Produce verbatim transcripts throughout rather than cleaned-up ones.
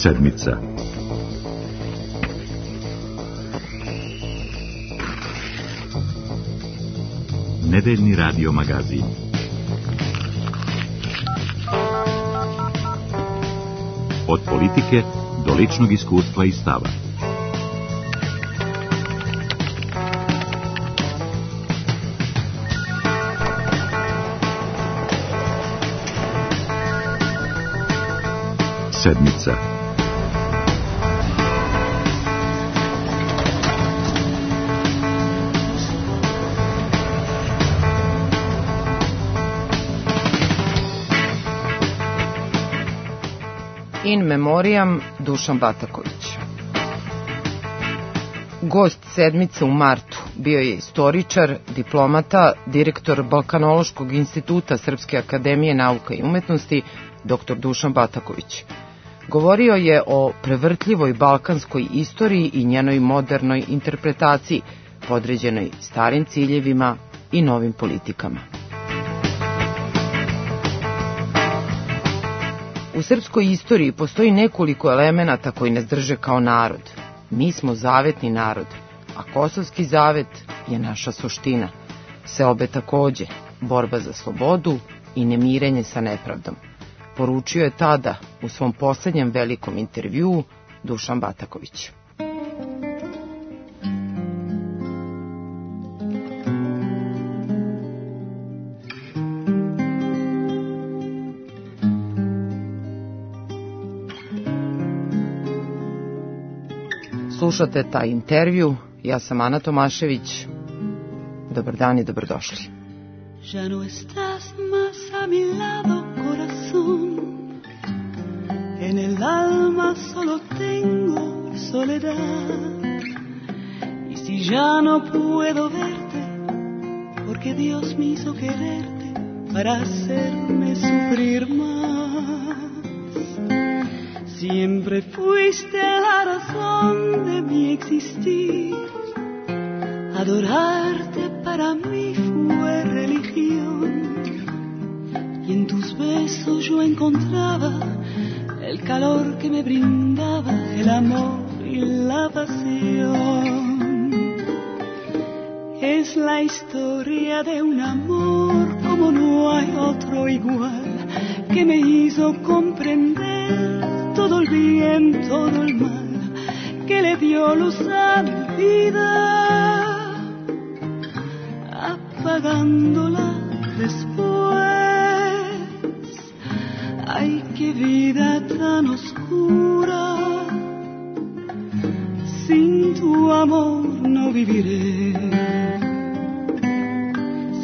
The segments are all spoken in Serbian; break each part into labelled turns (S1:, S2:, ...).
S1: Sedmica. Nedeljni radio magazin. Od politike do ličnog iskustva i stava. Sedmica.
S2: In memoriam Dušan Bataković. Gost Sedmice u martu bio je istoričar, diplomata, direktor Balkanološkog instituta Srpske akademije nauka i umetnosti, doktor Dušan Bataković. Govorio je o prevrtljivoj balkanskoj istoriji i njenoj modernoj interpretaciji, podređenoj starim ciljevima i novim politikama. U srpskoj istoriji postoji nekoliko elemenata koji nas drže kao narod. Mi smo zavetni narod, a kosovski zavet je naša suština. Seobe takođe, borba za slobodu i nemirenje sa nepravdom. Poručio je tada u svom poslednjem velikom intervjuu Dušan Bataković. Slušate taj intervju, ja sam Ana Tomašević. Dobar dan i dobrodošli.
S3: Ya no estás más a mi lado, corazón. En el alma solo tengo soledad. Y si ya no puedo verte, porque Dios me hizo quererte para hacerme sufrir más. Siempre fuiste la razón de mi existir. Adorarte para mí fue religión. Y en tus besos yo encontraba el calor que me brindaba el amor y la pasión. Es la historia de un amor como no hay otro igual, que me hizo comprender todo el bien, todo el mal, que le dio luz a mi vida, apagándola después. Ay, qué vida tan oscura, sin tu amor no viviré.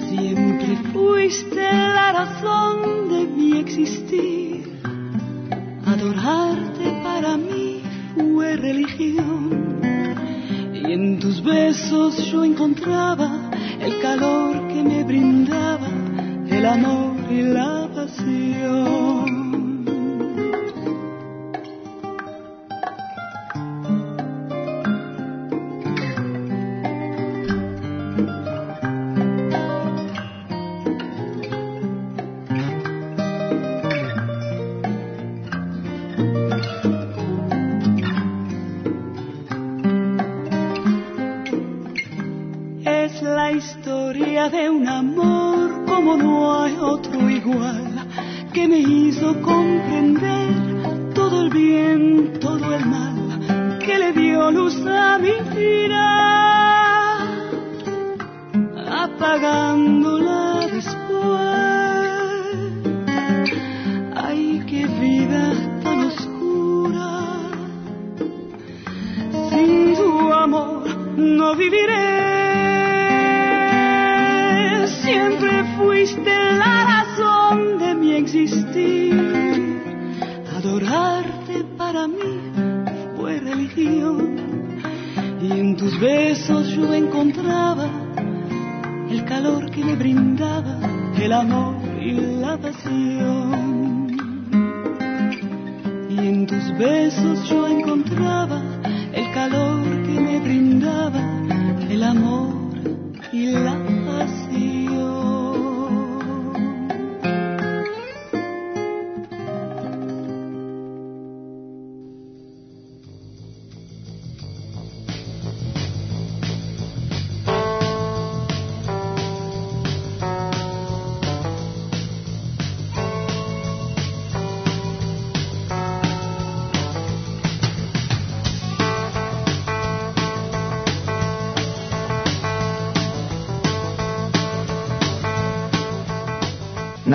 S3: Siempre fuiste la razón de mi existir. Adorarte para mí fue religión. Y en tus besos yo encontraba el calor que me brindaba el amor y la pasión. De un amor como no hay otro igual, que me hizo comprender todo el bien, todo el mal, que le dio luz a mi vida, apagándola después. Ay, qué vida tan oscura, sin tu amor no viviré. Siempre fuiste la razón de mi existir. Adorarte para mí fue religión. Y en tus besos yo encontraba el calor que me brindaba el amor y la pasión. Y en tus besos yo encontraba el calor que me brindaba el amor y la pasión.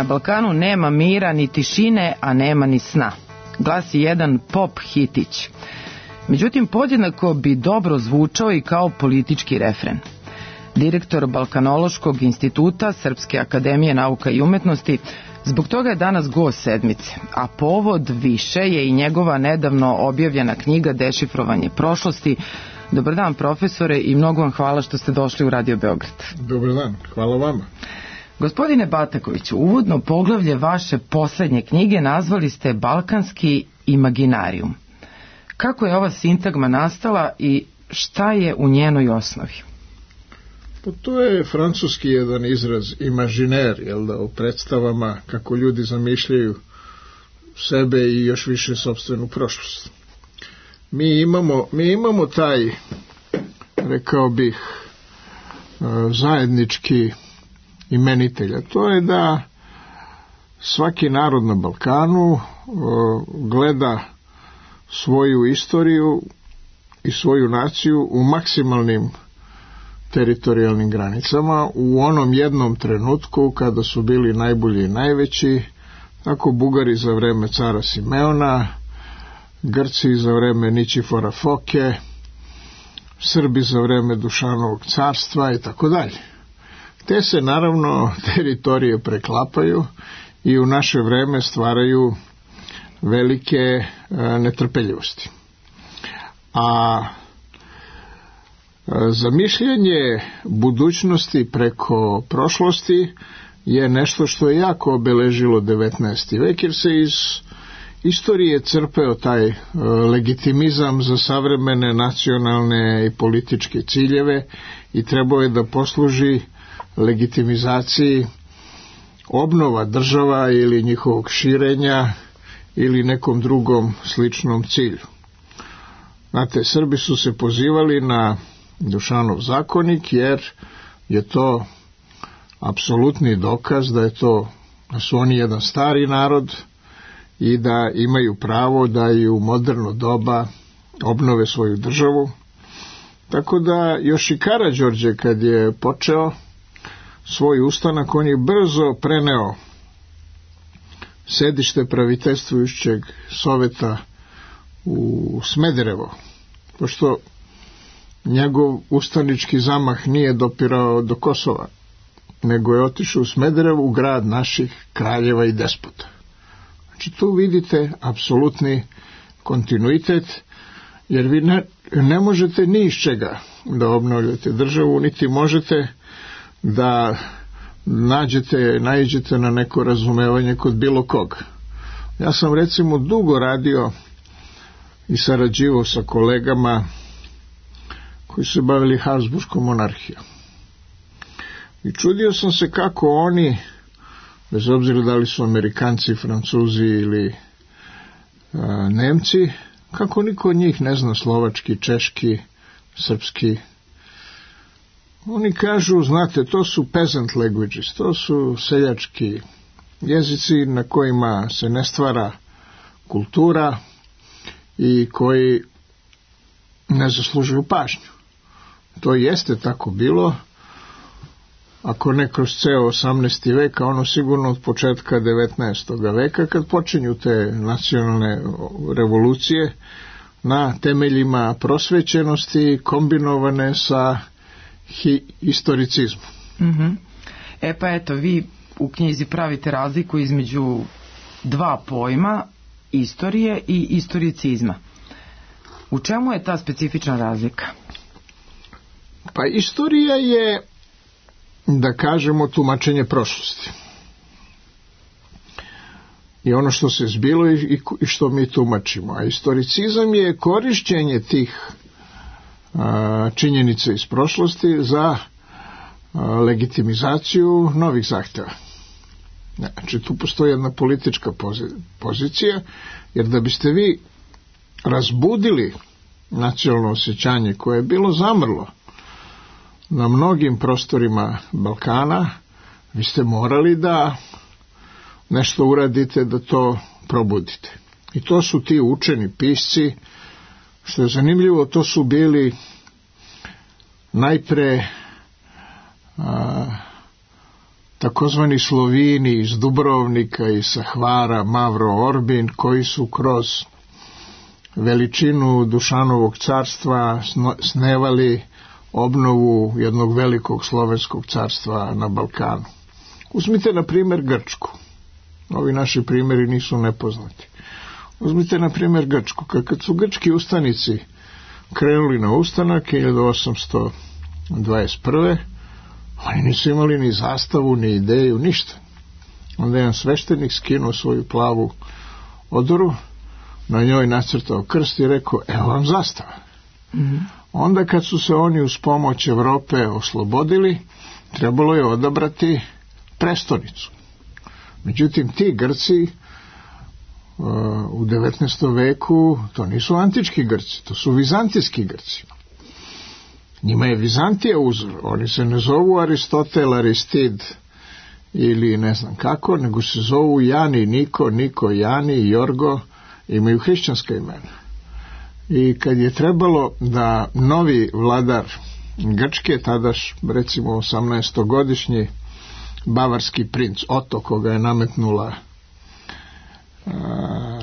S2: Na Balkanu nema mira ni tišine, a nema ni sna, glasi jedan pop hitić. Međutim, podjednako bi dobro zvučao i kao politički refren. Direktor Balkanološkog instituta Srpske akademije nauka i umetnosti zbog toga je danas gost sedmice, a povod više je i njegova nedavno objavljena knjiga Dešifrovanje prošlosti. Dobar dan, profesore, i mnogo vam hvala što ste došli u Radio Beograd.
S4: Dobar dan, hvala vama.
S2: Gospodine Batakoviću, uvodno poglavlje vaše poslednje knjige nazvali ste Balkanski imaginarijum. Kako je ova sintagma nastala i šta je u njenoj osnovi?
S4: Pa to je francuski jedan izraz imaginer, jel da, o predstavama kako ljudi zamišljaju sebe i još više sopstvenu prošlost. Mi imamo, mi imamo taj, rekao bih, zajednički imenitelj, a to je da svaki narod na Balkanu gleda svoju istoriju i svoju naciju u maksimalnim teritorijalnim granicama u onom jednom trenutku kada su bili najbolji i najveći, tako Bugari za vreme cara Simeona, Grci za vreme Ničifora Foke, Srbi za vreme Dušanovog carstva i tako dalje. Te se naravno teritorije preklapaju i u naše vreme stvaraju velike e, netrpeljivosti. A zamišljanje budućnosti preko prošlosti je nešto što je jako obeležilo devetnaesti vek, jer se iz istorije crpeo taj legitimizam za savremene nacionalne i političke ciljeve i trebao je da posluži legitimizaciji obnova država ili njihovog širenja ili nekom drugom sličnom cilju. Znate, Srbi su se pozivali na Dušanov zakonik jer je to apsolutni dokaz da je to, da su oni jedan stari narod i da imaju pravo da i u moderno doba obnove svoju državu. Tako da još i Karađorđe kad je počeo svoj ustanak, on je brzo preneo sedište praviteljstvujućeg soveta u Smederevo, pošto njegov ustanički zamah nije dopirao do Kosova, nego je otišao u Smederevo, u grad naših kraljeva i despota. Znači tu vidite apsolutni kontinuitet, jer vi ne, ne možete ni iz čega da obnovljate državu, niti možete da nađete, naiđete na neko razumevanje kod bilo koga. Ja sam recimo dugo radio i sarađivao sa kolegama koji su se bavili Habsburškom monarhijom. I čudio sam se kako oni, bez obzira da li su Amerikanci, Francuzi ili a, Nemci, kako niko od njih ne zna slovački, češki, srpski. Oni kažu, znate, to su peasant languages, to su seljački jezici na kojima se ne stvara kultura i koji ne zaslužuju pažnju. To jeste tako bilo, ako ne kroz ceo osamnaesti vek, a ono sigurno od početka devetnaestog veka, kad počinju te nacionalne revolucije na temeljima prosvećenosti kombinovane sa hi- historicizmom.
S2: Mm-hmm. E pa eto, vi u knjizi pravite razliku između dva pojma, istorije i istoricizma. U čemu je ta specifična razlika?
S4: Pa istorija je, da kažemo, tumačenje prošlosti. I ono što se zbilo i, i što mi tumačimo. A istoricizam je korišćenje tih a, činjenica iz prošlosti za a, legitimizaciju novih zahtjeva. Znači, tu postoji jedna politička pozicija, jer da biste vi razbudili nacionalno osjećanje koje je bilo zamrlo na mnogim prostorima Balkana, vi ste morali da nešto uradite da to probudite. I to su ti učeni pisci, što je zanimljivo, to su bili najpre a, takozvani Slovini iz Dubrovnika i sa Hvara, Mavro Orbin, koji su kroz veličinu Dušanovog carstva snevali obnovu jednog velikog slovenskog carstva na Balkanu. Uzmite na primjer Grčku. Ovi naši primjeri nisu nepoznati. Uzmite na primjer Grčku. Kad su grčki ustanici krenuli na ustanak hiljadu osamsto dvadeset prve. oni nisu imali ni zastavu, ni ideju, ništa. Onda jedan sveštenik skinuo svoju plavu odoru, na njoj nacrtao krst i rekao, evo vam zastava. Mm-hmm. Onda kad su se oni uz pomoć Evrope oslobodili, trebalo je odabrati prestonicu. Međutim, ti Grci uh, u devetnaestom veku, to nisu antički Grci, to su vizantijski Grci. Njima je Vizantija uzor, oni se ne zovu Aristotel, Aristid ili ne znam kako, nego se zovu Jani, Niko, Niko, Jani, Jorgo, imaju hrišćanska imena. I kad je trebalo da novi vladar Grčke, tadaš recimo osamnaestogodišnji bavarski princ Oto, koga je nametnula a,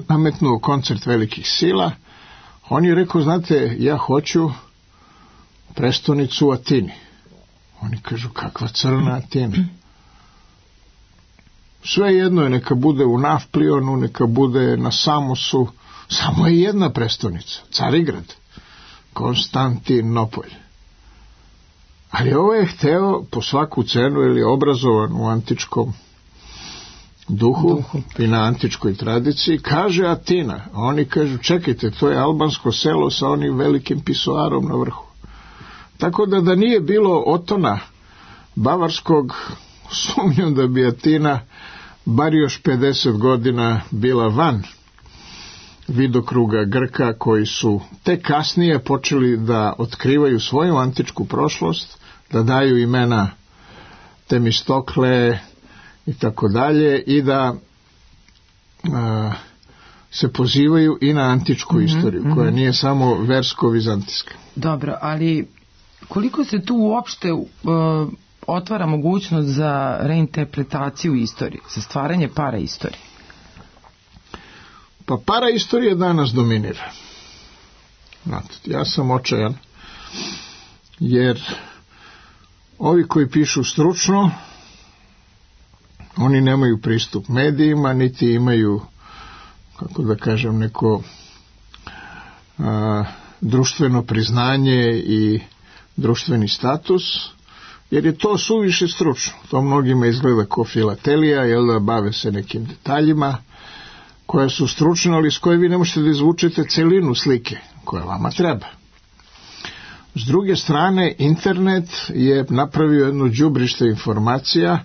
S4: nametnuo koncert velikih sila, on je rekao, znate, ja hoću prestonicu u Atini. Oni kažu, kakva crna Atina? Sve jedno je, neka bude u Nafplionu, neka bude na Samosu, samo je jedna prestonica, Carigrad, Konstantinopolj. Ali ovo je hteo po svaku cenu, jer je obrazovan u antičkom duhu, duhu i na antičkoj tradiciji, kaže Atina. A oni kažu, čekajte, to je albansko selo sa onim velikim pisoarom na vrhu. Tako da da nije bilo Otona bavarskog, sumnjam da bi Atina bar još pedeset godina bila van vidokruga Grka, koji su tek kasnije počeli da otkrivaju svoju antičku prošlost, da daju imena Temistokle i tako dalje, i da a, se pozivaju i na antičku mm-hmm, istoriju, koja mm-hmm. nije samo versko-vizantijska.
S2: Dobro, ali koliko se tu uopšte uh, otvara mogućnost za reinterpretaciju istorije, za stvaranje paraistorije?
S4: Pa paraistorija danas dominira. Znate, ja sam očajan, jer ovi koji pišu stručno, oni nemaju pristup medijima, niti imaju, kako da kažem, neko a, društveno priznanje i društveni status, jer je to suviše stručno. To mnogima izgleda kao filatelija, jel da, bave se nekim detaljima koja su stručne, ali s koje vi ne možete da izvučete celinu slike koja vama treba. S druge strane, internet je napravio jedno đubrište informacija,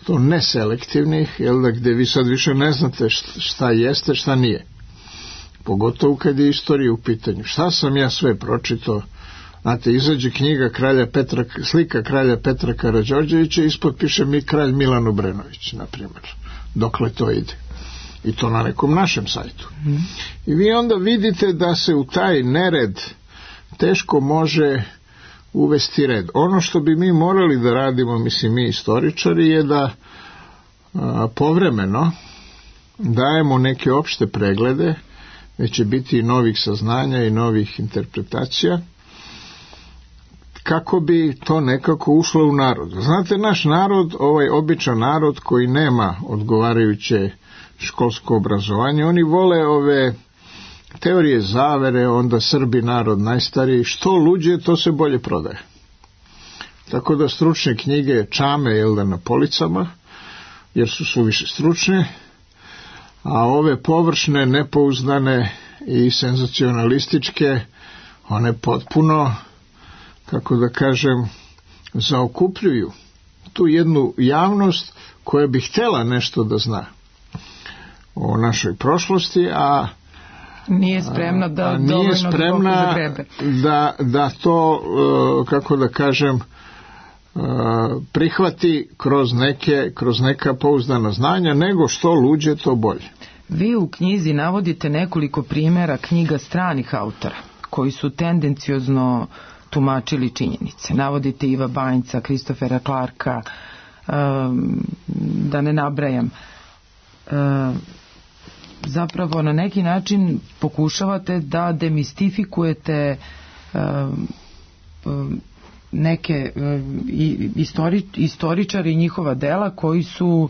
S4: to neselektivnih, jel da, gde vi sad više ne znate šta jeste, šta nije. Pogotovo kad je istorija u pitanju. Šta sam ja sve pročitao? Znate, izađe knjiga kralja Petra, slika kralja Petra Karađorđevića, ispod piše mi kralj Milan Obrenović, na primjer. Dokle to ide? I to na nekom našem sajtu. Mm. I vi onda vidite da se u taj nered teško može uvesti red. Ono što bi mi morali da radimo, mislim mi istoričari, je da a, povremeno dajemo neke opšte preglede, gde će biti i novih saznanja i novih interpretacija, kako bi to nekako ušlo u narod. Znate, naš narod, ovaj običan narod koji nema odgovarajuće školsko obrazovanje, oni vole ove teorije zavere, onda Srbi narod najstariji, što luđe, to se bolje prodaje. Tako da stručne knjige čame, jel da, na policama, jer su suviše stručne, a ove površne, nepouzdane i senzacionalističke, one potpuno, kako da kažem, zaokupljuju tu jednu javnost koja bi htjela nešto da zna o našoj prošlosti, a
S2: nije spremna da a, nije spremna
S4: da, da to, kako da kažem, prihvati kroz neke, kroz neka pouzdana znanja, nego što luđe, to bolje.
S2: Vi u knjizi navodite nekoliko primjera knjiga stranih autora, koji su tendenciozno tumačili činjenice. Navodite Iva Banjca, Kristofera Clarka, da ne nabrajam. Zapravo na neki način pokušavate da demistifikujete neke istori, istoričari i njihova dela koji su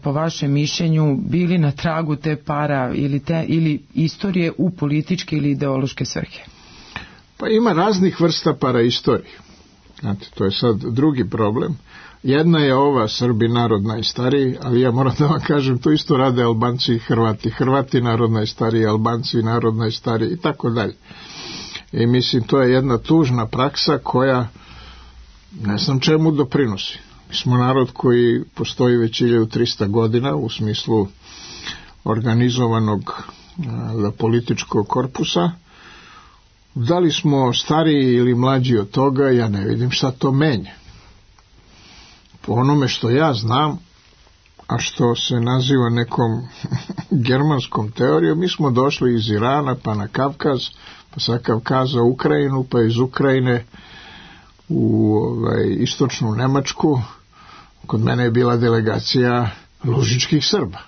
S2: po vašem mišljenju bili na tragu te para ili, te, ili istorije u političke ili ideološke svrhe.
S4: Pa ima raznih vrsta paraistorije. Znate, to je sad drugi problem. Jedna je ova Srbi narod najstariji, ali ja moram da vam kažem, to isto rade Albanci i Hrvati. Hrvati narod najstariji, Albanci narod najstariji i tako dalje. I mislim, to je jedna tužna praksa koja ne znam čemu doprinosi. Mi smo narod koji postoji već hiljadu trista godina u smislu organizovanog a, političkog korpusa. Da li smo stariji ili mlađi od toga, ja ne vidim šta to menja. Po onome što ja znam, a što se naziva nekom germanskom teorijom, mi smo došli iz Irana pa na Kavkaz, pa sa Kavkaza u Ukrajinu, pa iz Ukrajine u ovaj, istočnu Nemačku. Kod mene je bila delegacija lužičkih Srba.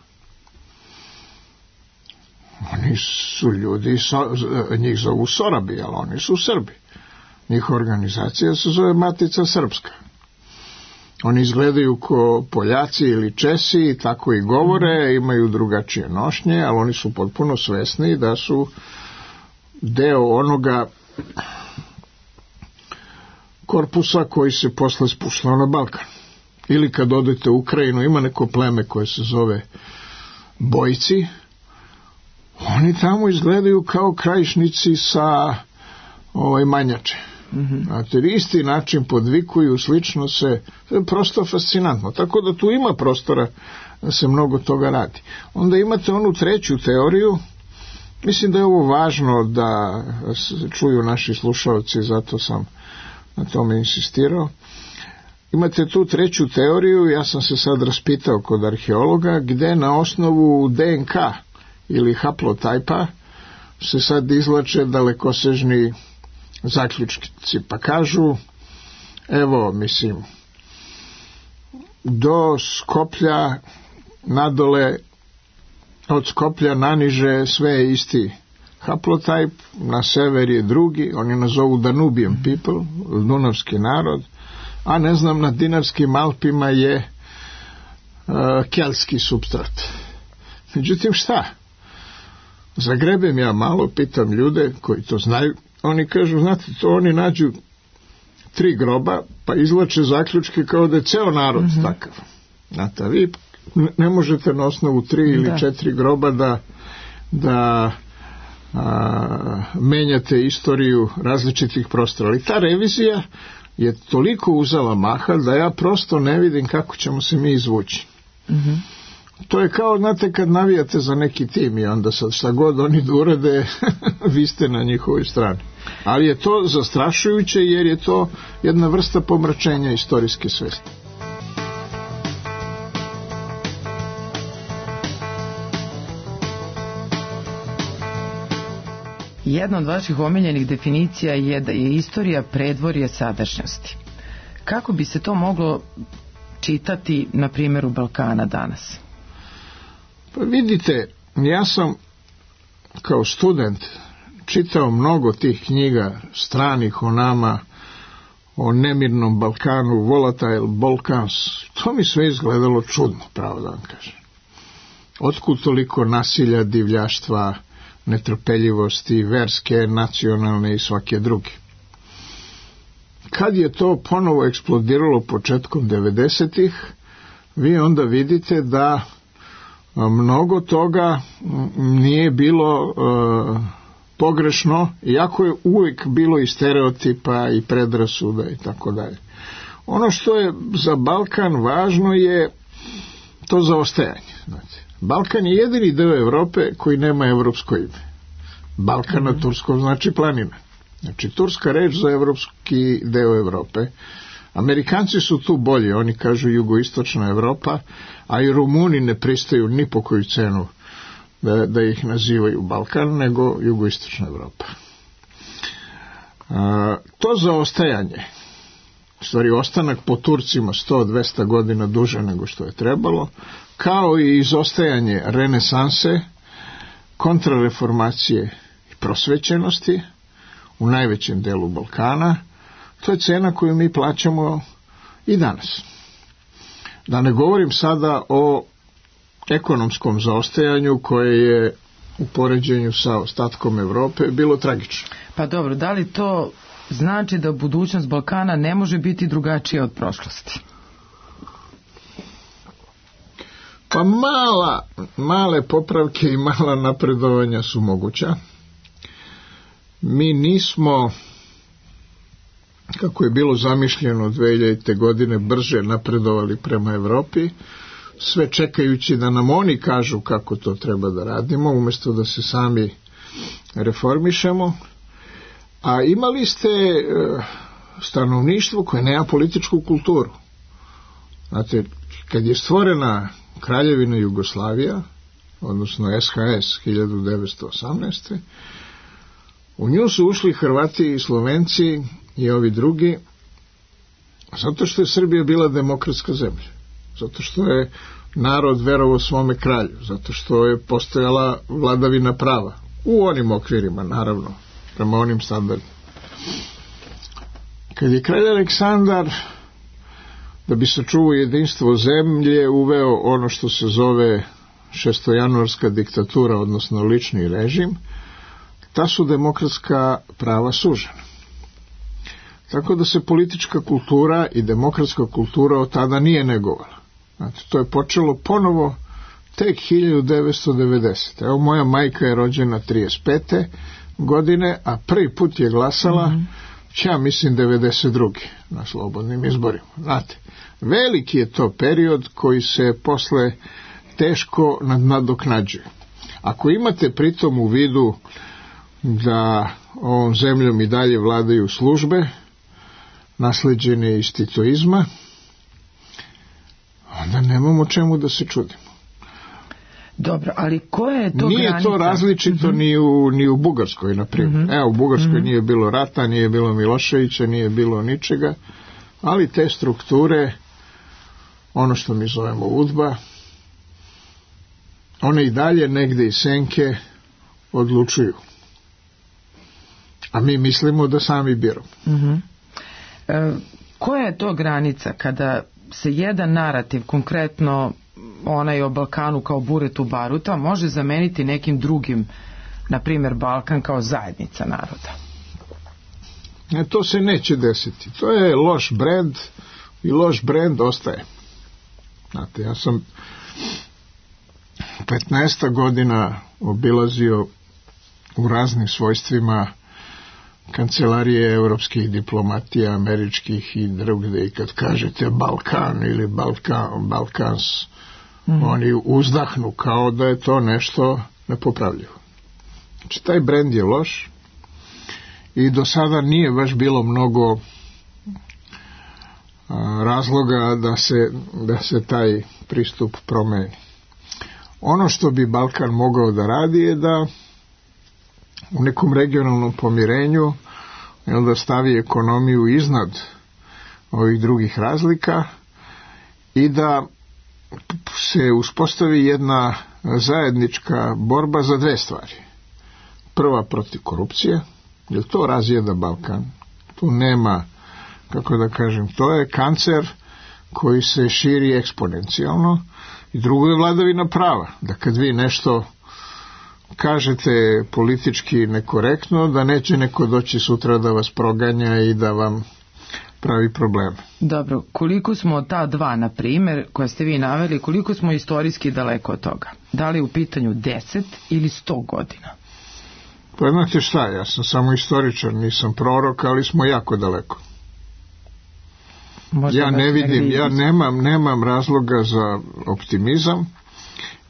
S4: Oni su ljudi, njih zovu Sorabi, ali oni su Srbi. Njihova organizacija se zove Matica Srpska. Oni izgledaju ko Poljaci ili Česi i tako i govore, imaju drugačije nošnje, ali oni su potpuno svesni da su deo onoga korpusa koji se posle spuštao na Balkan. Ili kad odete u Ukrajinu, ima neko pleme koje se zove Bojci, oni tamo izgledaju kao krajišnici sa ovaj, Manjače. Mm-hmm. Znate, isti način podvikuju, slično se, to je prosto fascinantno. Tako da tu ima prostora da se mnogo toga radi. Onda imate onu treću teoriju, mislim da je ovo važno da čuju naši slušalci, zato sam na tome insistirao. Imate tu treću teoriju, ja sam se sad raspitao kod arheologa, gde na osnovu D N K ili haplotajpa se sad izlače dalekosežni zaključci, pa kažu, evo, mislim, do Skoplja nadole, od Skoplja naniže sve je isti haplotajp, na sever je drugi, oni nazovu Danubian people, dunavski narod, a ne znam, na Dinarskim Alpima je uh, keltski supstrat. Međutim, šta? Zagrebem ja malo, pitam ljude koji to znaju, oni kažu, znate, to oni nađu tri groba, pa izlače zaključke kao da je ceo narod mm-hmm. takav. Znate, vi ne možete na osnovu tri ili da. četiri groba da, da a, menjate istoriju različitih prostora. Ali ta revizija je toliko uzela maha da ja prosto ne vidim kako ćemo se mi izvući. Mm-hmm. To je kao, znate, kad navijate za neki tim i onda sad šta god oni da urade, vi ste na njihovoj strani. Ali je to zastrašujuće jer je to jedna vrsta pomračenja istorijske svesti.
S2: Jedna od vaših omiljenih definicija je da je istorija predvorje sadašnjosti. Kako bi se to moglo čitati na primjeru Balkana danas?
S4: Pa vidite, ja sam kao student čitao mnogo tih knjiga stranih o nama, o nemirnom Balkanu, Volatile Balkans. To mi sve izgledalo čudno, pravo da vam kažem. Otkud toliko nasilja, divljaštva, netrpeljivosti, verske, nacionalne i svake druge. Kad je to ponovo eksplodiralo početkom devedesetih, vi onda vidite da mnogo toga nije bilo uh, pogrešno, iako je uvijek bilo i stereotipa i predrasuda i tako dalje. Ono što je za Balkan važno je to zaostajanje. Znači, Balkan je jedini deo Evrope koji nema evropsko ime. Balkan na turskom znači planina. Znači, turska reč za evropski deo Evrope. Amerikanci su tu bolji, oni kažu jugoistočna Evropa, a i Rumuni ne pristaju ni po koju cenu da, da ih nazivaju Balkan, nego jugoistočna Evropa. A, to zaostajanje, u stvari ostanak po Turcima sto do dvesta godina duže nego što je trebalo, kao i izostajanje renesanse, kontrareformacije i prosvećenosti u najvećem delu Balkana, to je cena koju mi plaćamo i danas. Da ne govorim sada o ekonomskom zaostajanju koje je u poređenju sa ostatkom Evrope bilo tragično.
S2: Pa dobro, da li to znači da budućnost Balkana ne može biti drugačija od prošlosti?
S4: Pa mala, male popravke i mala napredovanja su moguća. Mi nismo, kako je bilo zamišljeno dve hiljadite. godine, brže napredovali prema Evropi, sve čekajući da nam oni kažu kako to treba da radimo, umjesto da se sami reformišemo. A imali ste e, stanovništvo koje nema političku kulturu. Znate, kad je stvorena Kraljevina Jugoslavija, odnosno S H S hiljadu devetsto osamnaeste. u nju su ušli Hrvati i Slovenci i ovi drugi, zato što je Srbija bila demokratska zemlja, zato što je narod verovao svome kralju, zato što je postojala vladavina prava, u onim okvirima, naravno, prema onim standardima. Kad je kralj Aleksandar, da bi sačuvao jedinstvo zemlje, uveo ono što se zove šestojanuarska diktatura, odnosno lični režim, ta su demokratska prava sužena. Tako da se politička kultura i demokratska kultura od tada nije negovala. Znate, to je počelo ponovo tek hiljadu devetsto devedesete. Evo, moja majka je rođena trideset pete godine, a prvi put je glasala, mm-hmm. ja mislim, devedeset druge na slobodnim izborima. Znate, veliki je to period koji se posle teško nadoknađuje. Ako imate pritom u vidu da ovom zemljom i dalje vladaju službe nasleđene iz titoizma, onda nemamo čemu da se čudimo.
S2: Dobro, ali koja je to
S4: nije
S2: granica?
S4: To različito mm-hmm. ni, u, ni u Bugarskoj, na primjer. Mm-hmm. Evo, u Bugarskoj mm-hmm. nije bilo rata, nije bilo Miloševića, nije bilo ničega, ali te strukture, ono što mi zovemo udba, one i dalje negde iz senke odlučuju. A mi mislimo da sami biramo.
S2: Mm-hmm. E, koja je to granica kada se jedan narativ, konkretno onaj o Balkanu kao buretu baruta, može zameniti nekim drugim, na primjer Balkan kao zajednica naroda?
S4: E, to se neće desiti. To je loš brend i loš brend ostaje. Znate, ja sam petnaest godina obilazio u raznim svojstvima kancelarije evropskih diplomatija, američkih i drugde, i kad kažete Balkan ili Balkan, Balkans, mm. oni uzdahnu kao da je to nešto nepopravljivo. Znači, taj brend je loš i do sada nije baš bilo mnogo a, razloga da se, da se taj pristup promeni. Ono što bi Balkan mogao da radi je da u nekom regionalnom pomirenju i onda stavi ekonomiju iznad ovih drugih razlika i da se uspostavi jedna zajednička borba za dve stvari. Prva, protiv korupcije, jer to razjeda Balkan. Tu nema, kako da kažem, to je kancer koji se širi eksponencijalno. I drugo je vladavina prava, da kad vi nešto kažete politički nekorektno, da neće neko doći sutra da vas proganja i da vam pravi probleme.
S2: Dobro, koliko smo od ta dva, na primjer, koje ste vi naveli, koliko smo istorijski daleko od toga? Da li u pitanju deset ili sto godina?
S4: Pa znate šta, ja sam samo istoričar, nisam prorok, ali smo jako daleko. Možda ja ne vidim, ja nemam, nemam razloga za optimizam,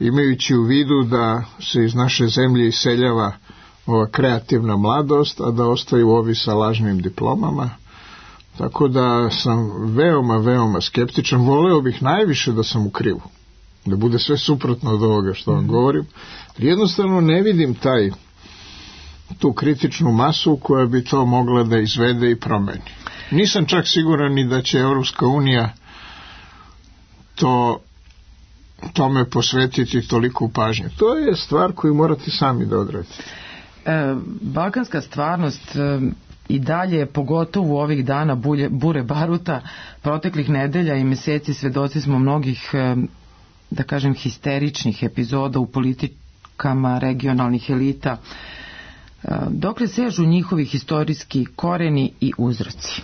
S4: imajući u vidu da se iz naše zemlje iseljava ova kreativna mladost, a da ostaju ovi sa lažnim diplomama. Tako da sam veoma, veoma skeptičan. Voleo bih najviše da sam u krivu, da bude sve suprotno od ovoga što vam govorim. Jednostavno ne vidim taj, tu kritičnu masu koja bi to mogla da izvede i promeni. Nisam čak siguran ni da će Evropska unija to tome posvetiti toliko pažnje. To je stvar koju morate sami da odradite.
S2: E, balkanska stvarnost e, i dalje, pogotovo ovih dana bulje, bure baruta, proteklih nedelja i meseci svedoci smo mnogih, e, da kažem, histeričnih epizoda u politikama regionalnih elita. E, dokle sežu njihovi historijski koreni i uzroci?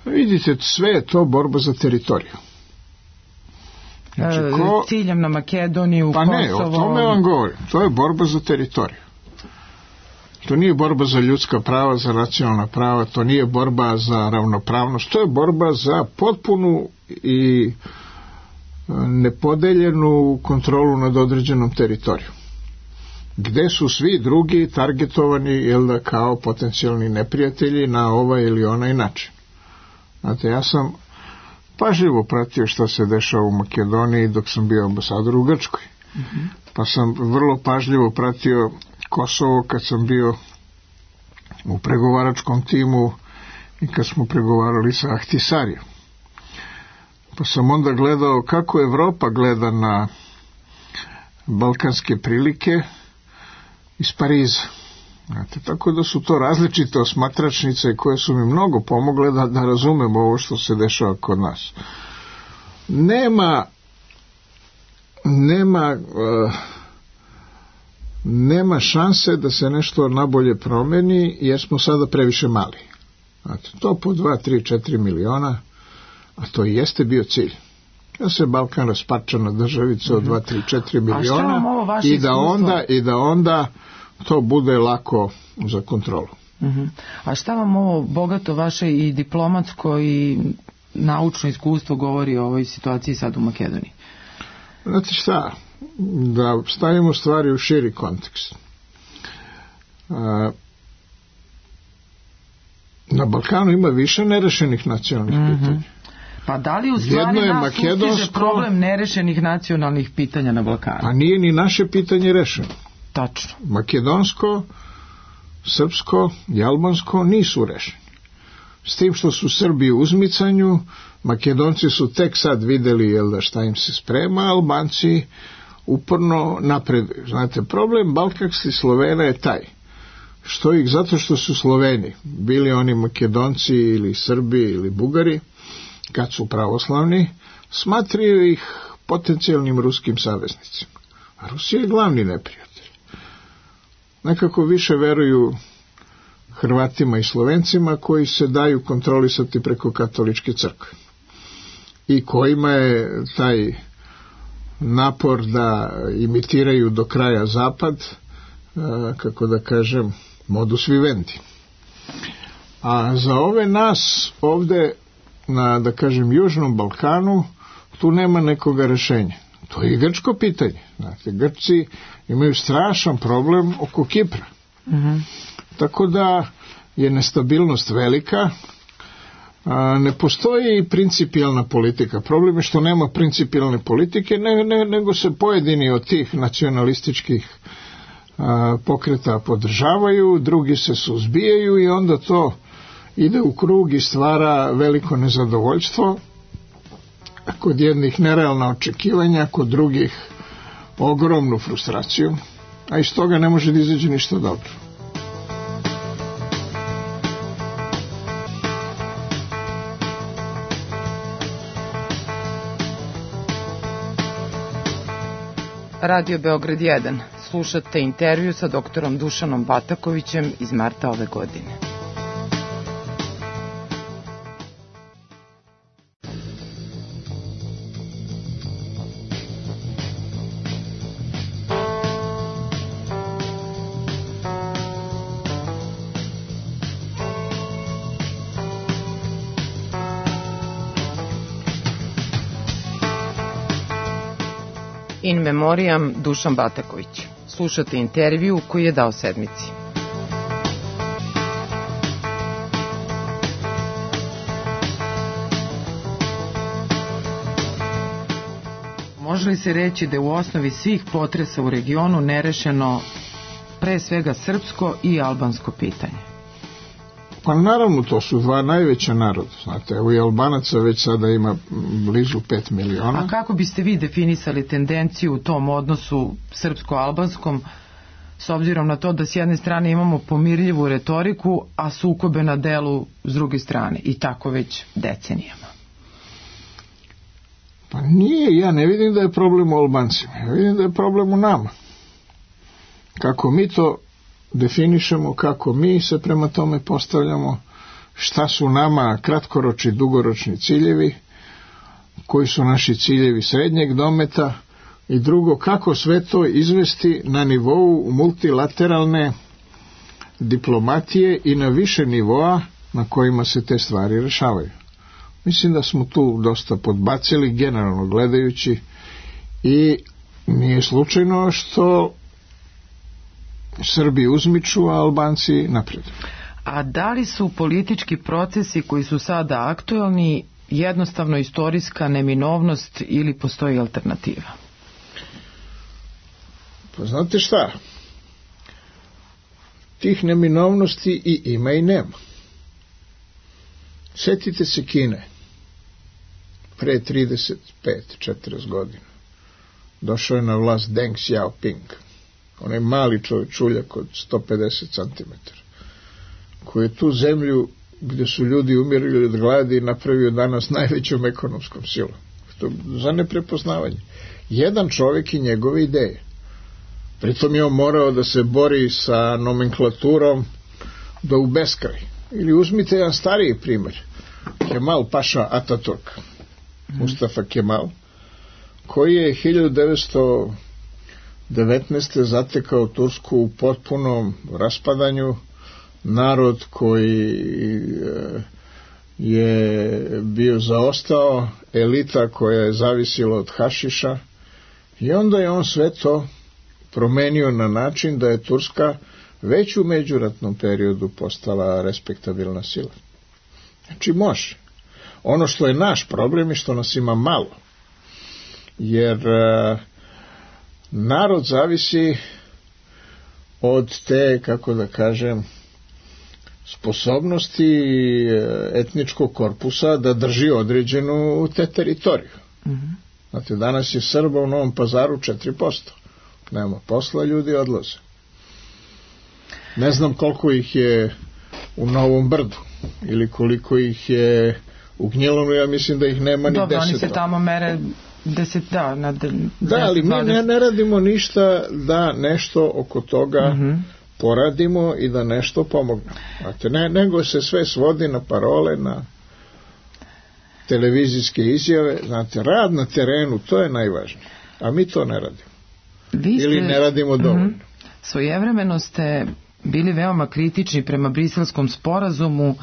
S4: Vidite, sve je to borba za teritoriju.
S2: Znači, ko... ciljem na Makedoniju,
S4: pa
S2: Kosovo...
S4: ne, o tome vam govorim. To je borba za teritoriju. To nije borba za ljudska prava, za nacionalna prava, to nije borba za ravnopravnost, to je borba za potpunu i nepodeljenu kontrolu nad određenom teritorijom. Gde su svi drugi targetovani, jel da, kao potencijalni neprijatelji na ovaj ili onaj način. Znate, ja sam pažljivo pratio šta se dešava u Makedoniji dok sam bio ambasador u Grčkoj. Mm-hmm. Pa sam vrlo pažljivo pratio Kosovo kad sam bio u pregovaračkom timu i kad smo pregovarali sa Ahtisarijom. Pa sam onda gledao kako Evropa gleda na balkanske prilike iz Pariza. Znate, tako da su to različite osmatračnice koje su mi mnogo pomogle da, da razumem ovo što se dešava kod nas. Nema nema uh, nema šanse da se nešto nabolje promeni jer smo sada previše mali. Znate, to po dva, tri, četiri miliona, a to i jeste bio cilj. Da se Balkan rasparča na državice od dva, tri, četiri miliona i da onda i da onda to bude lako za kontrolu.
S2: Uh-huh. A šta vam ovo bogato vaše i diplomatsko i naučno iskustvo govori o ovoj situaciji sad u Makedoniji?
S4: Znate šta, da stavimo stvari u širi kontekst. Na Balkanu ima više nerešenih nacionalnih uh-huh. pitanja.
S2: Pa da li u stvari nas makedonsko... ustiže problem nerešenih nacionalnih pitanja na Balkanu?
S4: Pa nije ni naše pitanje rešeno.
S2: Tačno.
S4: Makedonsko, srpsko i albansko nisu rešeni. S tim što su Srbi u uzmicanju, Makedonci su tek sad videli, jel da, šta im se sprema, Albanci uporno napreduju. Znate, problem balkanskih Slovena je taj, što ih, zato što su Sloveni, bili oni Makedonci ili Srbi ili Bugari, kad su pravoslavni, smatraju ih potencijalnim ruskim saveznicima. A Rusija je glavni neprijatelj. Nekako više veruju Hrvatima i Slovencima koji se daju kontrolisati preko katoličke crkve i kojima je taj napor da imitiraju do kraja zapad, kako da kažem, modus vivendi. A za ove nas ovde na, da kažem, Južnom Balkanu tu nema nekoga rešenja. To je i grčko pitanje. Znate, Grčci imaju strašan problem oko Kipra. Uh-huh. Tako da je nestabilnost velika, a, ne postoji principijalna politika. Problem je što nema principijalne politike, ne, ne, nego se pojedini od tih nacionalističkih a, pokreta podržavaju, drugi se suzbijaju i onda to ide u krug i stvara veliko nezadovoljstvo, kod jednih nerealna očekivanja, kod drugih ogromnu frustraciju, a iz toga ne može da izađe ništa dobro.
S2: Radio Beograd jedan. Slušate intervju sa doktorom Dušanom Batakovićem iz marta ove godine. In memoriam Dušan Bataković. Slušate intervju koji je dao sedmici. Može li se reći da je u osnovi svih potresa u regionu nerešeno pre svega srpsko i albansko pitanje?
S4: Pa naravno, to su dva najveća naroda, znate, evo i Albanaca već sada ima blizu pet miliona.
S2: A kako biste vi definisali tendenciju u tom odnosu srpsko-albanskom, s obzirom na to da s jedne strane imamo pomirljivu retoriku, a sukobe na delu s druge strane, i tako već decenijama?
S4: Pa nije, ja ne vidim da je problem u Albancima, ja vidim da je problem u nama. Kako mi to definišemo, kako mi se prema tome postavljamo, šta su nama kratkoročni, dugoročni ciljevi, koji su naši ciljevi srednjeg dometa, i drugo, kako sve to izvesti na nivou multilateralne diplomatije i na više nivoa na kojima se te stvari rešavaju. Mislim da smo tu dosta podbacili, generalno gledajući, i nije slučajno što Srbi uzmiču, a Albanci napred.
S2: A da li su politički procesi koji su sada aktuelni jednostavno istorijska neminovnost ili postoji alternativa?
S4: Pa znate šta? Tih neminovnosti i ima i nema. Sjetite se Kine. Pre trideset pet četrdeset godina došao je na vlast Deng Xiaoping, onaj mali čovječuljak od sto pedeset centimetara, koji je tu zemlju gdje su ljudi umirili od gladi napravio danas najvećom ekonomskom silom. To za neprepoznavanje. Jedan čovjek i njegove ideje. Pritom je on morao da se bori sa nomenklaturom do u beskraj. Ili uzmite jedan stariji primjer, Kemal Paša Ataturk, Mustafa Kemal, koji je hiljadu devetsto devetnaeste. zatekao Tursku u potpunom raspadanju, narod koji je bio zaostao, elita koja je zavisila od hašiša, i onda je on sve to promenio na način da je Turska već u međuratnom periodu postala respektabilna sila. Znači može. Ono što je naš problem je što nas ima malo. Jer uh, narod zavisi od te, kako da kažem, sposobnosti etničkog korpusa da drži određenu te teritoriju. Mm-hmm. Znate, danas je Srba u Novom Pazaru četiri posto. Nema posla, ljudi odlaze. Ne znam koliko ih je u Novom Brdu ili koliko ih je u Gnjilanu, ja mislim da ih nema ni deset.
S2: Dobro, oni se tamo mere deset, da, na de,
S4: da, ali mi ne, ne radimo ništa da nešto oko toga mm-hmm. poradimo i da nešto pomognemo. Znate, ne, nego se sve svodi na parole, na televizijske izjave. Znate, rad na terenu, to je najvažnije. A mi to ne radimo. Vi ste, ili ne radimo dovoljno. Mm-hmm.
S2: Svojevremeno ste bili veoma kritični prema Briselskom sporazumu.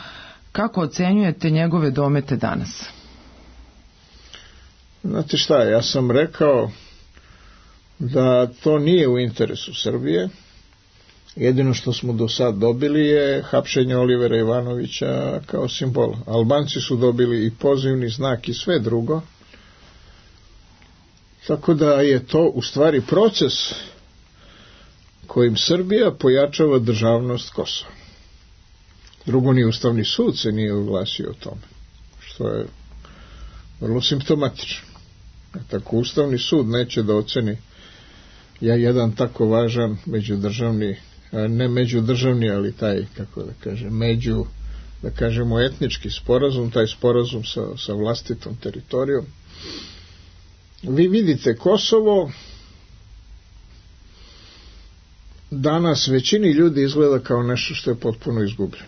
S2: Kako ocenjujete njegove domete danas?
S4: Znate šta, ja sam rekao da to nije u interesu Srbije. Jedino što smo do sad dobili je hapšenje Olivera Ivanovića kao simbol. Albanci su dobili i pozivni znak i sve drugo. Tako da je to u stvari proces kojim Srbija pojačava državnost Kosova. Drugo, ni Ustavni sud se nije oglasio o tome, što je vrlo simptomatično. Tako Ustavni sud neće da oceni ja jedan tako važan međudržavni, ne međudržavni, ali taj, kako da kažem, među, da kažemo, etnički sporazum, taj sporazum sa, sa vlastitom teritorijom. Vi vidite, Kosovo danas većini ljudi izgleda kao nešto što je potpuno izgubljeno.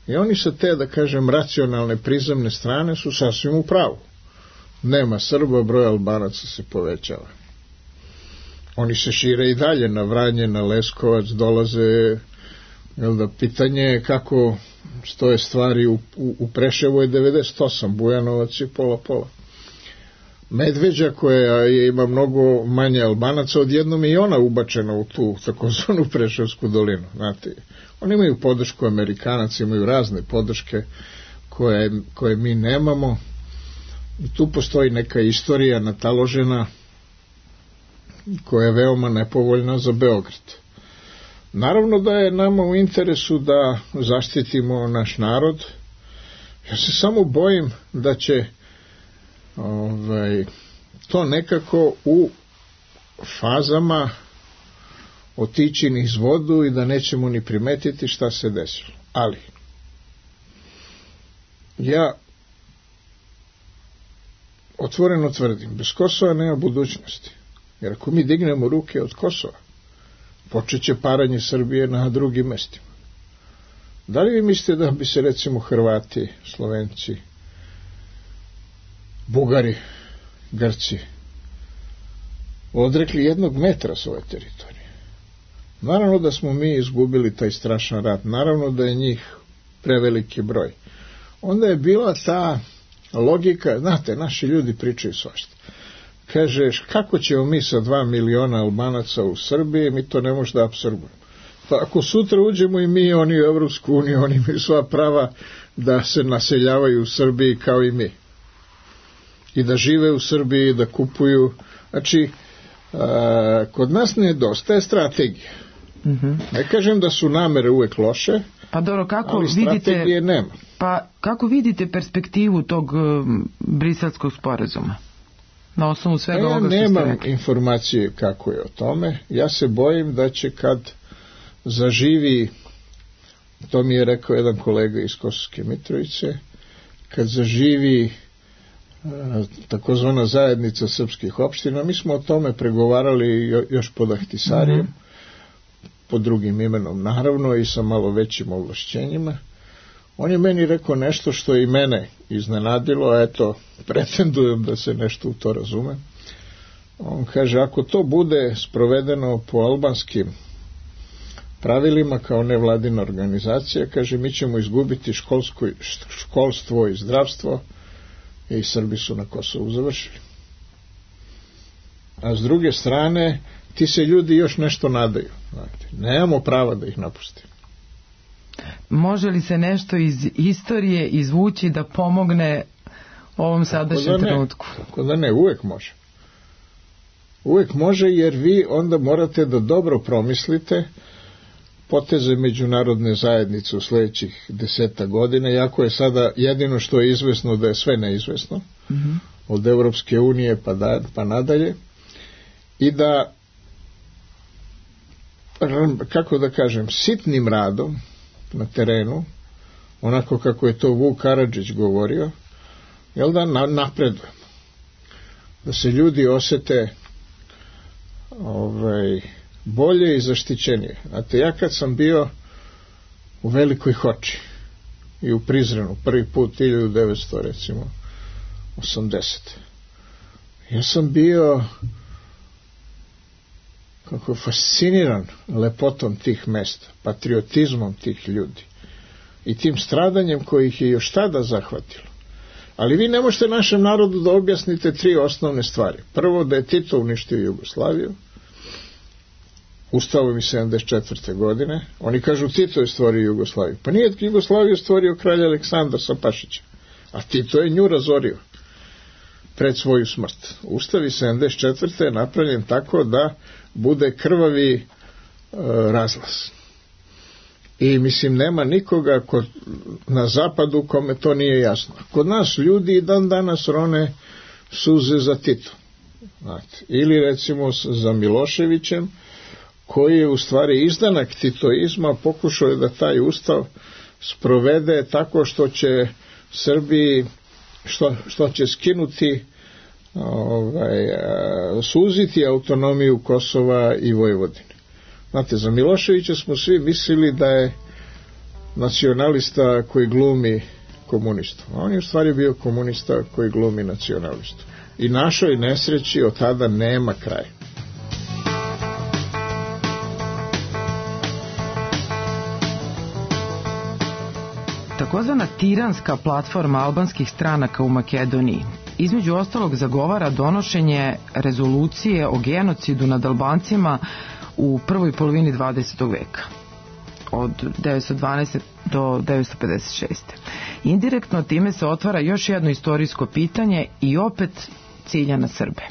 S4: I oni sa te, da kažem, racionalne prizemne strane su sasvim u pravu. Nema Srba, broj Albanaca se povećava. Oni se šire i dalje na Vranje, na Leskovac, dolaze, jel da, pitanje je kako stoje stvari u, u, u Preševu je devedeset osam, Bujanovac je pola pola. Medveđa, koja je, ima mnogo manje Albanaca, odjednom je i ona ubačena u tu takozvanu Preševsku dolinu. Znate, oni imaju podršku Amerikanaca, imaju razne podrške koje, koje mi nemamo. I tu postoji neka istorija nataložena koja je veoma nepovoljna za Beograd. Naravno da je nama u interesu da zaštitimo naš narod. Ja se samo bojim da će ovaj, to nekako u fazama otići niz vodu i da nećemo ni primetiti šta se desilo. Ali ja otvoreno tvrdim, bez Kosova nema budućnosti. Jer ako mi dignemo ruke od Kosova, počet će paranje Srbije na drugim mestima. Da li vi mislite da bi se recimo Hrvati, Slovenci, Bugari, Grci odrekli jednog metra svoje teritorije? Naravno da smo mi izgubili taj strašan rat, naravno da je njih preveliki broj. Onda je bila ta logika, znate, naši ljudi pričaju svašta. Kažeš, kako ćemo mi sa dva miliona Albanaca u Srbiji, mi to ne možemo da apsorbujemo. Pa ako sutra uđemo i mi, oni u Evropsku uniju, oni imaju sva prava da se naseljavaju u Srbiji kao i mi. I da žive u Srbiji, da kupuju. Znači, a, kod nas nedostaje strategija. Mm-hmm. Ne kažem da su namere uvek loše,
S2: pa dobro, kako
S4: ali strategije
S2: vidite,
S4: nema.
S2: Pa kako vidite perspektivu tog um, briselskog sporazuma? Na osnovu svega
S4: ja
S2: ovoga što ste
S4: nemam
S2: rekli.
S4: informacije kako je o tome. Ja se bojim da će kad zaživi, to mi je rekao jedan kolega iz Kosovske Mitrovice, kad zaživi takozvana zajednica srpskih opština, mi smo o tome pregovarali još pod Ahtisarijem, mm-hmm. pod drugim imenom naravno i sa malo većim ovlašćenjima. On je meni rekao nešto što je i mene iznenadilo, a eto, pretendujem da se nešto u to razume. On kaže, ako to bude sprovedeno po albanskim pravilima kao nevladina organizacija, kaže, mi ćemo izgubiti školsko, školstvo i zdravstvo i Srbi su na Kosovu završili. A s druge strane, ti se ljudi još nešto nadaju. Znate, nemamo prava da ih napustimo.
S2: Može li se nešto iz istorije izvući da pomogne ovom sadašnjem trenutku?
S4: Tako da ne, uvek može. Uvek može, jer vi onda morate da dobro promislite poteze međunarodne zajednice u sledećih deseta godina, iako je sada jedino što je izvesno da je sve neizvesno, mm-hmm. od Evropske unije pa, da, pa nadalje, i da, kako da kažem, sitnim radom na terenu, onako kako je to Vuk Karadžić govorio, jel da na, napredujemo. Da se ljudi osete ovaj, bolje i zaštićenije. Znate, ja kad sam bio u Velikoj Hoči i u Prizrenu, prvi put hiljadu devetsto recimo osamdeset, ja sam bio kako fasciniran lepotom tih mesta, patriotizmom tih ljudi i tim stradanjem koji ih je još tada zahvatilo. Ali vi ne možete našem narodu da objasnite tri osnovne stvari. Prvo, da je Tito uništio Jugoslaviju Ustavom iz sedamdeset četvrte godine. Oni kažu, Tito je stvorio Jugoslaviju. Pa nije Jugoslaviju stvorio kralj Aleksandar sa Pašićem, a Tito je nju razorio pred svoju smrt. Ustav iz sedamdeset četvrte je napravljen tako da bude krvavi e, razlaz. I mislim, nema nikoga kod, na zapadu kome to nije jasno. Kod nas ljudi dan danas rone suze za Tito. Znate, ili recimo za Miloševićem, koji je u stvari izdanak titoizma, pokušao je da taj ustav sprovede tako što će Srbiji, što, što će skinuti, ovaj, suziti autonomiju Kosova i Vojvodine. Znate, za Miloševića smo svi mislili da je nacionalista koji glumi komunistu. A on je u stvari bio komunista koji glumi nacionalistu. I našoj nesreći od tada nema kraja.
S2: Takozvana tiranska platforma albanskih stranaka u Makedoniji između ostalog zagovara donošenje rezolucije o genocidu nad Albancima u prvoj polovini dvadesetog veka, od devetsto dvanaeste do devetsto pedeset šeste. Indirektno time se otvara još jedno istorijsko pitanje i opet cilja na Srbe.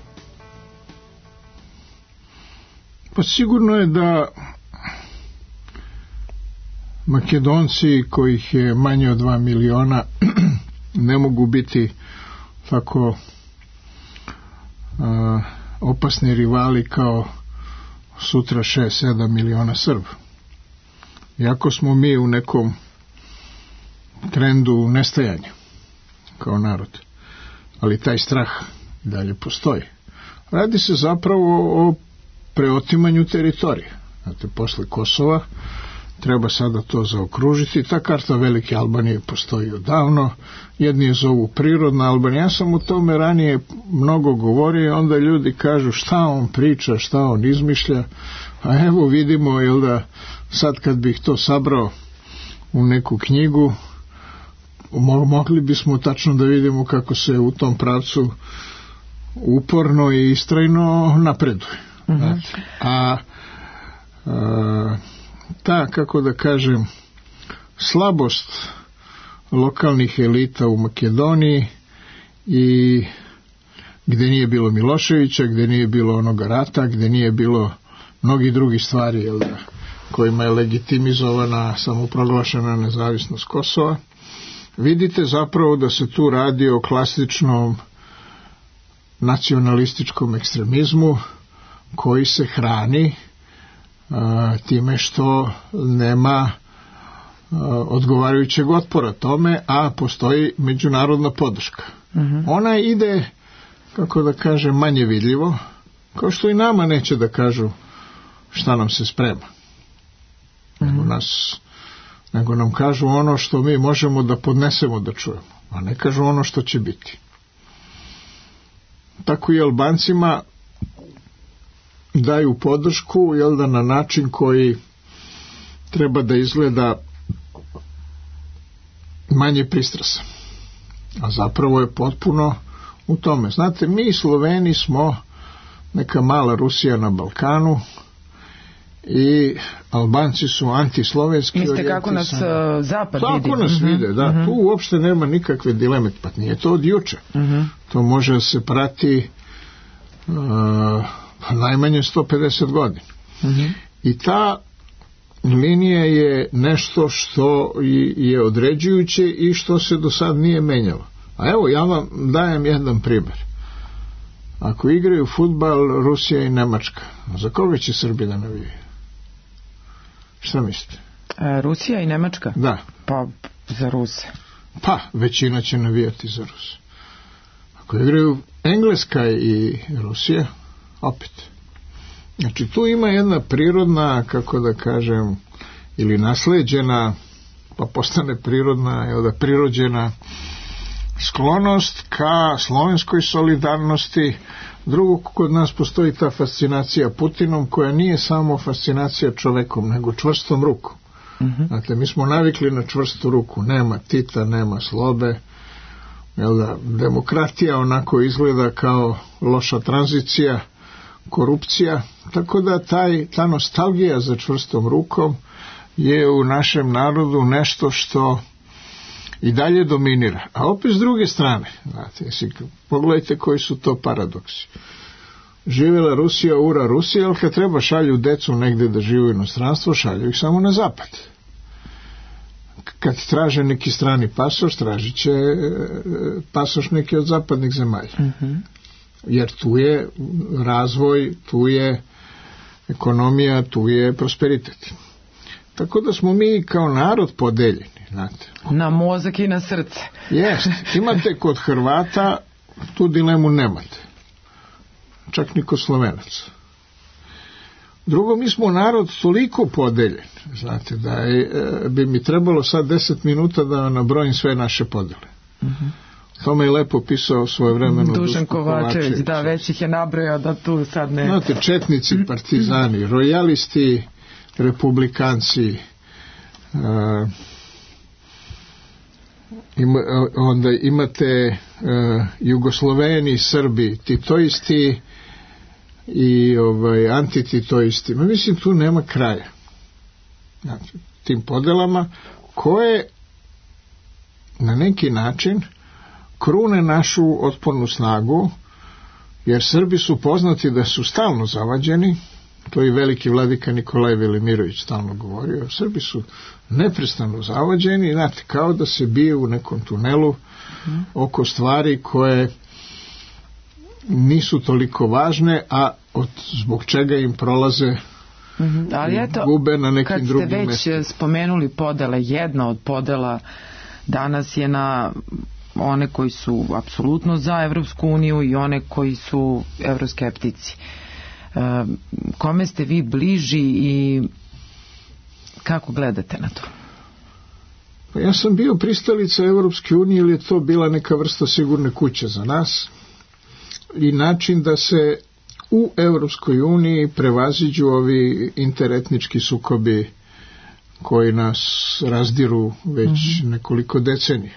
S4: Pa sigurno je da Makedonci, kojih je manje od dva miliona, ne mogu biti tako a, opasni rivali kao sutra šest sedam miliona Srba. Iako smo mi u nekom trendu nestajanja kao narod, ali taj strah dalje postoji. Radi se zapravo o preotimanju teritorije. Znate, posle Kosova treba sada to zaokružiti. Ta karta Velike Albanije postoji odavno. Jedni je zovu prirodna Albanija. Ja sam o tome ranije mnogo govorio i onda ljudi kažu šta on priča, šta on izmišlja. A evo vidimo, jel da, sad kad bih to sabrao u neku knjigu, mogli bismo tačno da vidimo kako se u tom pravcu uporno i istrajno napreduje. Mm-hmm. A, a ta, kako da kažem, slabost lokalnih elita u Makedoniji i gde nije bilo Miloševića, gde nije bilo onoga rata, gde nije bilo mnogi drugi stvari, jel da, kojima je legitimizovana samoproglašena nezavisnost Kosova, vidite zapravo da se tu radi o klasičnom nacionalističkom ekstremizmu koji se hrani a, time što nema a, odgovarajućeg otpora tome, a postoji međunarodna podrška. Mm-hmm. Ona ide, kako da kažem, manje vidljivo, kao što i nama neće da kažu šta nam se sprema. Mm-hmm. Nego, nas, nego nam kažu ono što mi možemo da podnesemo da čujemo, a ne kažu ono što će biti. Tako i Albancima daju podršku, jel da, na način koji treba da izgleda manje pristrasan. A zapravo je potpuno u tome. Znate, mi Sloveni smo neka mala Rusija na Balkanu i Albanci su antislovenski.
S2: Mislite kako nas uh, zapad
S4: tako
S2: vidi?
S4: Tako nas uh-huh. vide, da. Uh-huh. Tu uopšte nema nikakve dileme, pa nije to od juče. Uh-huh. To može da se prati uh, najmanje sto pedeset godina. Uh-huh. I ta linija je nešto što je određujuće i što se do sad nije menjalo. A evo, ja vam dajem jedan primjer. Ako igraju fudbal Rusija i Nemačka, za koga će Srbi da navijaju? Šta mislite?
S2: E, Rusija i Nemačka?
S4: Da.
S2: Pa za Ruse.
S4: Pa, većina će navijati za Ruse. Ako igraju Engleska i Rusija, opet. Znači, tu ima jedna prirodna, kako da kažem, ili nasleđena, pa postane prirodna, jel da, prirođena sklonost ka slovenskoj solidarnosti. Drugo, kod nas postoji ta fascinacija Putinom, koja nije samo fascinacija čovekom, nego čvrstom rukom. Uh-huh. Dakle, mi smo navikli na čvrstu ruku. Nema Tita, nema Slobe. Jel da, demokratija onako izgleda kao loša tranzicija, korupcija. Tako da taj, ta nostalgija za čvrstom rukom je u našem narodu nešto što i dalje dominira. A opet s druge strane, znate, pogledajte koji su to paradoksi. Živjela Rusija, ura Rusija, ali kad treba šalju decu negde da žive u inostranstvo, šalju ih samo na zapad. Kad traže neki strani pasoš, tražit će pasoš neki od zapadnih zemalja. Mm-hmm. Jer tu je razvoj, tu je ekonomija, tu je prosperitet. Tako da smo mi kao narod podeljeni, znate.
S2: Na mozak i na srce.
S4: Jeste. Imate kod Hrvata, tu dilemu nemate. Čak ni kod Slovenaca. Drugo, mi smo narod toliko podeljen, znate, da je, bi mi trebalo sad deset minuta da nabrojim sve naše podele. Mm-hmm. To je lepo pisao svoje vremeno
S2: Dušan Kovačević, Kovačević, da, već ih je nabrojao da tu sad ne...
S4: Znate, četnici, partizani, rojalisti, republikanci, uh, ima, onda imate uh, Jugosloveni, Srbi, titoisti i ovaj, antititoisti. Ma mislim, tu nema kraja. Znači, tim podelama koje na neki način krune našu otpornu snagu, jer Srbi su poznati da su stalno zavađeni, to i veliki vladika Nikolaj Velimirović stalno govorio, Srbi su neprestano zavođeni, znate, kao da se bije u nekom tunelu mm. oko stvari koje nisu toliko važne, a od, zbog čega im prolaze
S2: mm-hmm. Ali eto,
S4: gube na nekim drugim mestima.
S2: Kad ste već spomenuli podele, jedna od podela danas je na one koji su apsolutno za Evropsku uniju i one koji su evroskeptici. E, kome ste vi bliži i kako gledate na to?
S4: Pa ja sam bio pristalica Evropske unije, ili je to bila neka vrsta sigurne kuće za nas i način da se u Evropskoj uniji prevaziđu ovi interetnički sukobi koji nas razdiru već mm-hmm. nekoliko decenije.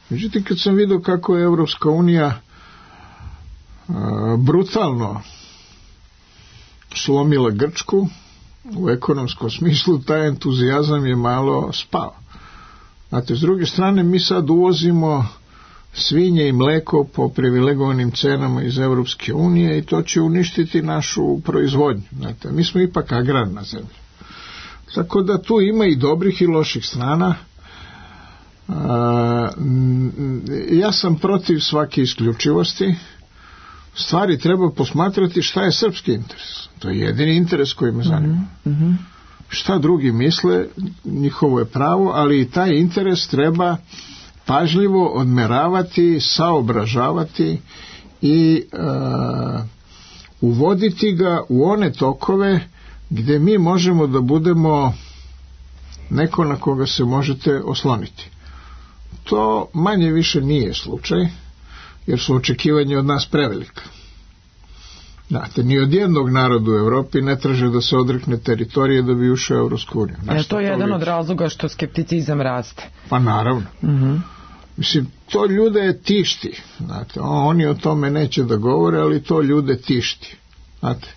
S4: Međutim, kad sam vidio kako je Evropska unija a, brutalno slomila Grčku u ekonomskom smislu, taj entuzijazam je malo spao. Znate, s druge strane, mi sad uvozimo svinje i mleko po privilegovanim cenama iz Evropske unije i to će uništiti našu proizvodnju. Znate, mi smo ipak agrarna zemlja. Tako da tu ima i dobrih i loših strana. A, ja sam protiv svake isključivosti. Stvari treba posmatrati šta je srpski interes. To je jedini interes koji me zanima.
S2: Mm-hmm.
S4: Šta drugi misle, njihovo je pravo, ali i taj interes treba pažljivo odmeravati, saobražavati i uh, uvoditi ga u one tokove gdje mi možemo da budemo neko na koga se možete osloniti. To manje više nije slučaj, jer su očekivanja od nas prevelika. Znate, ni od jednog naroda u Evropi ne traže da se odrekne teritorije da bi ušao u Evropsku uniju.
S2: Je to jedan od razloga što skepticizam raste?
S4: Pa naravno.
S2: Uh-huh.
S4: Mislim, to ljude tišti. Znate, oni o tome neće da govore, ali to ljude tišti. Znate,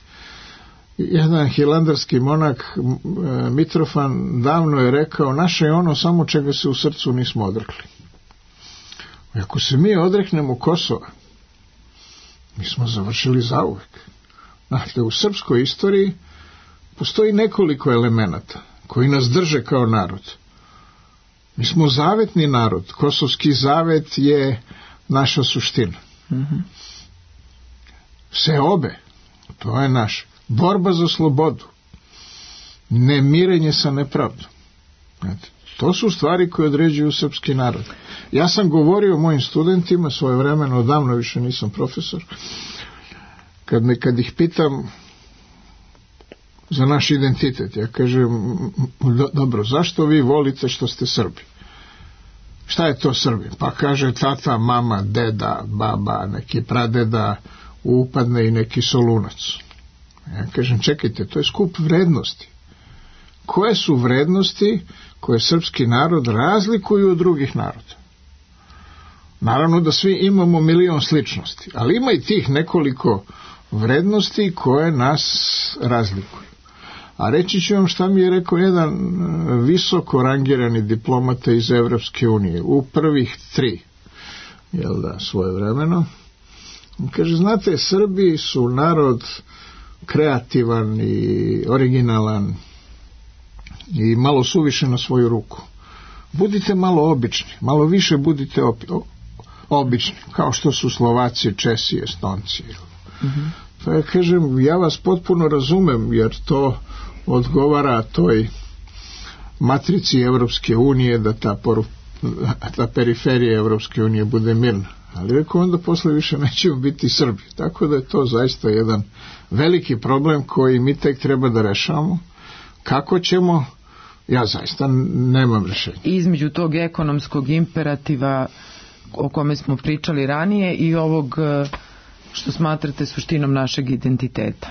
S4: jedan hilandarski monak Mitrofan davno je rekao, naše je ono samo čega se u srcu nismo odrekli. Ako se mi odreknemo Kosova, mi smo završili zauvek. Znate, u srpskoj istoriji postoji nekoliko elemenata koji nas drže kao narod. Mi smo zavetni narod. Kosovski zavet je naša suština.
S2: Mm-hmm.
S4: Seobe, to je naš. Borba za slobodu. Nemirenje sa nepravdom. Znate, to su stvari koje određuju srpski narod. Ja sam govorio mojim studentima svojevremeno, odavno više nisam profesor, kad, me, kad ih pitam za naš identitet, ja kažem, dobro, zašto vi volite što ste Srbi? Šta je to Srbi? Pa kaže tata, mama, deda, baba, neki pradeda, upadne i neki Solunac. Ja kažem, čekajte, to je skup vrednosti. Koje su vrednosti koje srpski narod razlikuju od drugih naroda? Naravno da svi imamo milion sličnosti, ali ima i tih nekoliko vrednosti koje nas razlikuju. A reći ću vam šta mi je rekao jedan visoko rangirani diplomata iz Evropske unije, u prvih tri, jel da, svojevremeno. Kaže, znate, Srbi su narod kreativan i originalan i malo suviše na svoju ruku. Budite malo obični, malo više budite opi, o, obični, kao što su Slovaci, Česi, Estonci.
S2: Mm-hmm.
S4: Pa ja kažem, ja vas potpuno razumem, jer to odgovara toj matrici Evropske unije, da ta, poru, ta periferija Evropske unije bude mirna. Ali rekao, onda posle više nećemo biti Srbi. Tako da je to zaista jedan veliki problem koji mi tek treba da rešavamo. Kako ćemo, ja zaista nemam rešenja.
S2: Između tog ekonomskog imperativa o kome smo pričali ranije i ovog što smatrate suštinom našeg identiteta.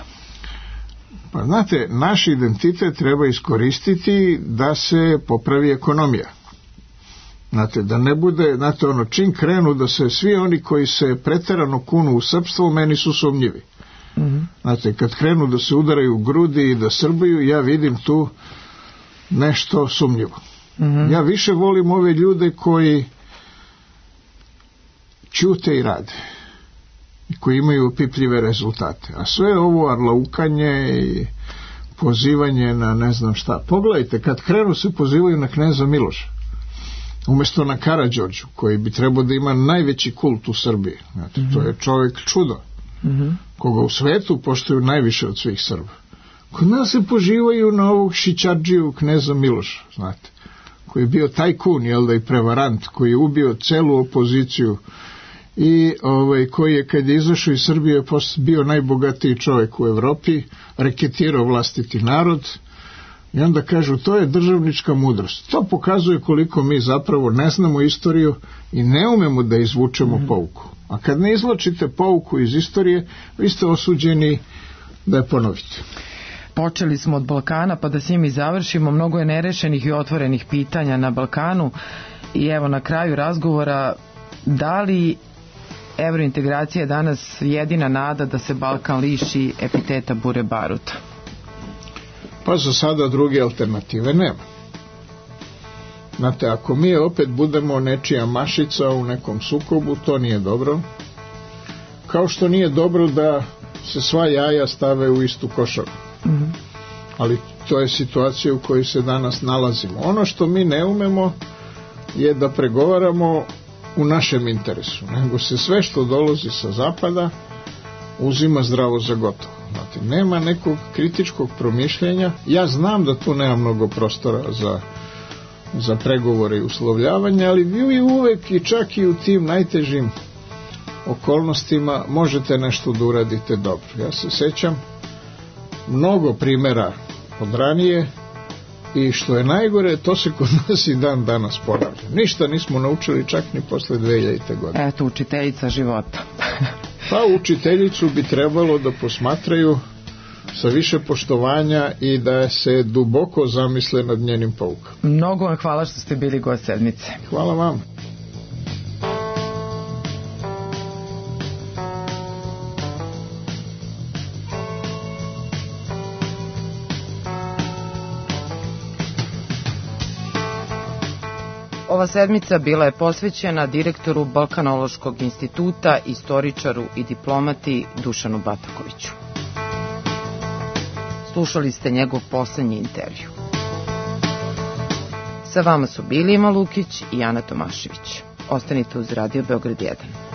S4: Pa znate, naš identitet treba iskoristiti da se popravi ekonomija. Znate, da ne bude, znate, ono, čim krenu da se svi oni koji se preterano kunu u srpstvo, meni su sumnjivi.
S2: Mm-hmm.
S4: Znate, kad krenu da se udaraju u grudi i da srbaju, ja vidim tu nešto sumnjivo.
S2: Mm-hmm.
S4: Ja više volim ove ljude koji ćute i rade i koji imaju opipljive rezultate. A sve ovo arlaukanje i pozivanje na ne znam šta. Pogledajte, kad krenu se pozivaju na kneza Miloša, umjesto na Karađorđu, koji bi trebao da ima najveći kult u Srbiji. Znate, mm-hmm. to je čovjek čudo, mm-hmm. koga u svetu poštuju najviše od svih Srba. Kod nas se pozivaju na ovog šićardžiju kneza Miloša, znate, koji je bio tajkun, jel da, i prevarant, koji je ubio celu opoziciju i ovaj, koji je, kad je izašao iz Srbije, bio najbogatiji čovjek u Evropi, reketirao vlastiti narod. I onda kažu, to je državnička mudrost. To pokazuje koliko mi zapravo ne znamo istoriju i ne umemo da izvučemo mm. pouku. A kad ne izvlačite pouku iz istorije, vi ste osuđeni da je ponovite.
S2: Počeli smo od Balkana, pa da s njim i završimo. Mnogo je nerešenih i otvorenih pitanja na Balkanu. I evo, na kraju razgovora, da li evrointegracija je danas jedina nada da se Balkan liši epiteta bure baruta?
S4: Pa za sada druge alternative nema. Znate, ako mi opet budemo nečija mašica u nekom sukobu, to nije dobro. Kao što nije dobro da se sva jaja stave u istu košaru. Mm-hmm. Ali to je situacija u kojoj se danas nalazimo. Ono što mi ne umemo je da pregovaramo u našem interesu, nego se sve što dolazi sa zapada uzima zdravo za gotovo. Znate, nema nekog kritičkog promišljenja. Ja znam da tu nema mnogo prostora za, za pregovore i uslovljavanje, ali vi uvek i čak i u tim najtežim okolnostima možete nešto da uradite dobro. Ja se sećam mnogo primjera od ranije i što je najgore, to se kod nas i dan danas ponavlja. Ništa nismo naučili čak ni posle dve hiljadite godine.
S2: Eto, učiteljica života.
S4: Pa učiteljicu bi trebalo da posmatraju sa više poštovanja i da se duboko zamisle nad njenim poukama.
S2: Mnogo vam hvala što ste bili gost sedmice.
S4: Hvala vam.
S2: Ova sedmica bila je posvećena direktoru Balkanološkog instituta, istoričaru i diplomati Dušanu Batakoviću. Slušali ste njegov poslednji intervju. Sa vama su bili Ima Lukić i Ana Tomašević. Ostanite uz Radio Beograd jedan.